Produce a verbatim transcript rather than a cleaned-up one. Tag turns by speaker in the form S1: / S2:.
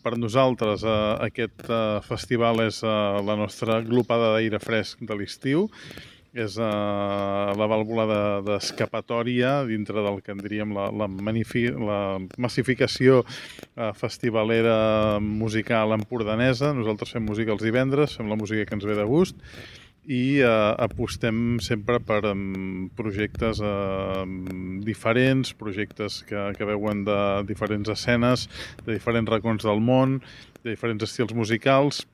S1: Per nosaltres eh, aquest eh, festival és eh, la nostra glopada d'aire fresc de l'estiu, és eh, la vàlvula d'escapatòria de, dintre del que en diríem la, la, la massificació eh, festivalera musical empordanesa. Nosaltres fem música els divendres, fem la música que ens ve de gust i eh, apostem sempre per um, projectes eh, diferents, projectes que, que veuen de diferents escenes, de diferents racons del món, de diferents estils musicals.